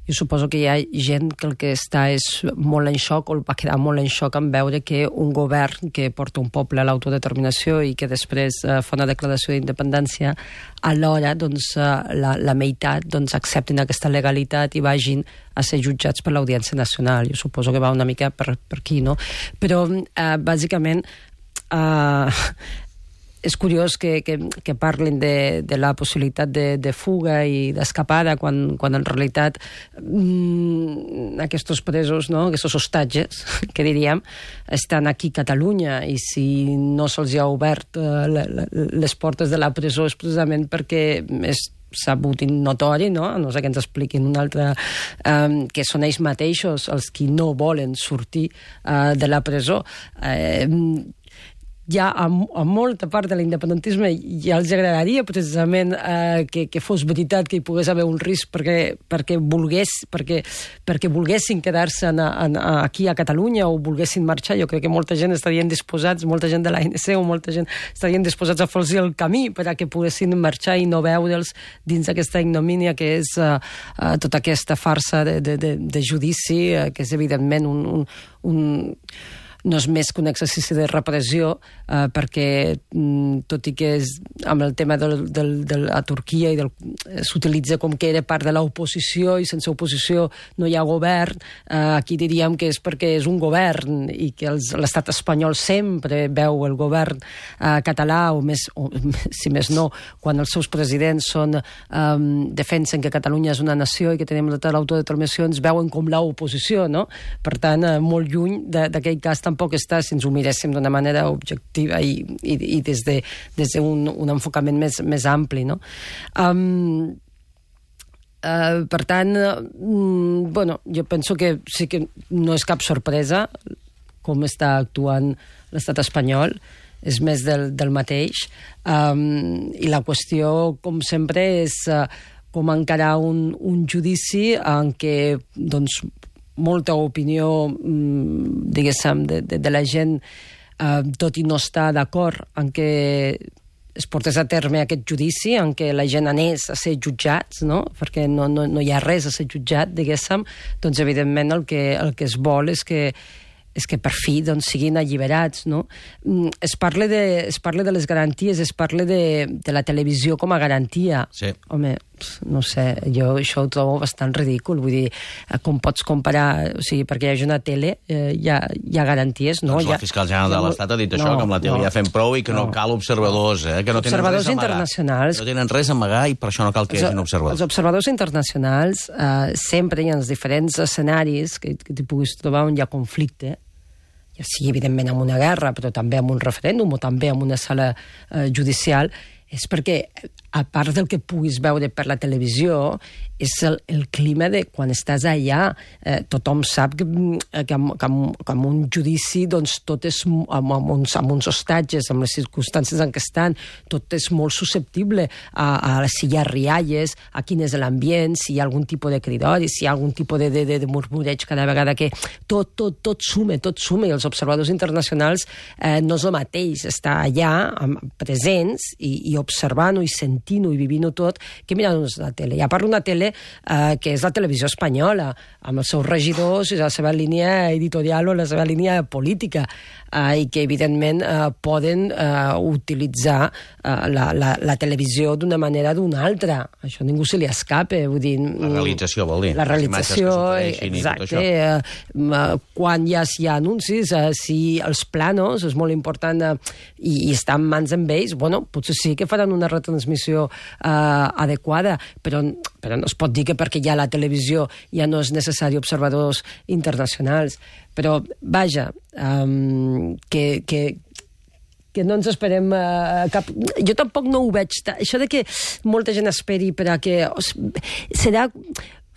jo suposo que hi ha gent que el que està és molt en xoc, o va quedar molt en xoc en veure que un govern que porta un poble a l'autodeterminació i que després fa una declaració d'independència, alhora doncs, la meitat doncs, acceptin aquesta legalitat i vagin a ser jutjats per l'Audiència Nacional. Jo suposo que va una mica per aquí, no? Però, bàsicament, és curiós que parlin de la possibilitat de fuga i d'escapada quan en realitat aquests presos, no? Aquests hostatges, que diríem, estan aquí a Catalunya i si no se'ls ha obert les portes de la presó és precisament perquè és sabut i notori, no? No sé que ens expliquin un altre, que són ells mateixos els qui no volen sortir de la presó. Ja a molta part de l'independentisme ja els agradaria precisament que fos veritat que hi pogués haver un risc perquè volguessin quedar-se aquí a Catalunya o volguessin marxar. Jo crec que molta gent estarien disposats, molta gent de l'ANC o molta gent estarien disposats a fer-los el camí perquè poguessin marxar i no veure'ls dins d'aquesta ignomínia que és tota aquesta farsa de judici, que és evidentment no és més que un exercici de repressió, perquè tot i que amb el tema de la Turquia s'utilitza com que era part de l'oposició i sense oposició no hi ha govern, aquí diríem que és perquè és un govern i que l'estat espanyol sempre veu el govern català, o si més no, quan els seus presidents defensen que Catalunya és una nació i que tenim l'autodeterminació, ens veuen com l'oposició, no? Per tant, molt lluny d'aquell cas tampoc està, si ens ho miréssim d'una manera objectiva i des d'un enfocament més ampli, no? Per tant, jo penso que sí que no és cap sorpresa com està actuant l'estat espanyol, és més del mateix, i la qüestió, com sempre, és com encarar un judici en què, doncs, molta opinió, diguéssim, de la gent, tot i no estar d'acord en què es portés a terme aquest judici, en què la gent anés a ser jutjats, no? Perquè no hi ha res a ser jutjat, diguéssim, doncs evidentment el que es vol és que per fi doncs, siguin alliberats, no? Es parla de les garanties, es parla de la televisió com a garantia. Sí. Home, no sé, jo això ho trobo bastant ridícul, vull dir, com pots comparar, o sigui, perquè hi hagi una tele, hi ha garanties, no? Doncs la fiscal general de l'Estat ha dit això, que amb la tele ja fem prou i que no cal observadors, que no tenen observadors res a amagar. internacionals. No tenen res a amagar i per això no cal que hi hagin observadors. Els observadors internacionals sempre hi ha els diferents escenaris que t'hi puguis trobar on hi ha conflicte, ja sigui, evidentment, amb una guerra, però també amb un referèndum o també amb una sala judicial, és perquè, a part del que puguis veure per la televisió, és el clima de quan estàs allà. Tothom sap que amb un judici doncs, tot és amb uns hostatges, amb les circumstàncies en què estan, tot és molt susceptible a si hi ha rialles, a quin és l'ambient, si hi ha algun tipus de cridori, si hi ha algun tipus de murmureig cada vegada que... Tot suma, i els observadors internacionals no és el mateix estar allà presents i observant-ho i sentint-ho i vivint-ho tot que mirant-nos la tele. I a part una tele que és la televisió espanyola, amb els seus regidors i la seva línia editorial o la seva línia política, i que, evidentment, poden utilitzar la televisió d'una manera o d'una altra. Això a ningú se li escapa. Vull dir, la realització, vol dir. La realització, exacte. Quan ja hi ha anuncis, si els planos, és molt important, i estar en mans amb ells, potser sí que faran una retransmissió adequada, però no es pot dir que perquè hi ha la televisió ja no és necessari observadors internacionals. Però, vaja, que no ens esperem cap... Jo tampoc no ho veig... Això de que molta gent esperi per a que... Serà...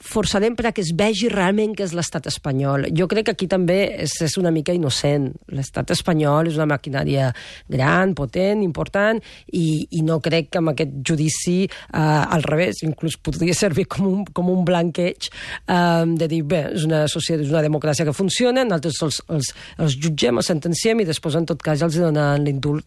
forçarem perquè es vegi realment que és l'estat espanyol. Jo crec que aquí també és una mica innocent. L'estat espanyol és una maquinària gran, potent, important, i no crec que amb aquest judici, al revés, inclús podria servir com un blanqueig de dir, bé, és una societat, és una democràcia que funciona, nosaltres els jutgem, els sentenciem i després, en tot cas, els donen l'indult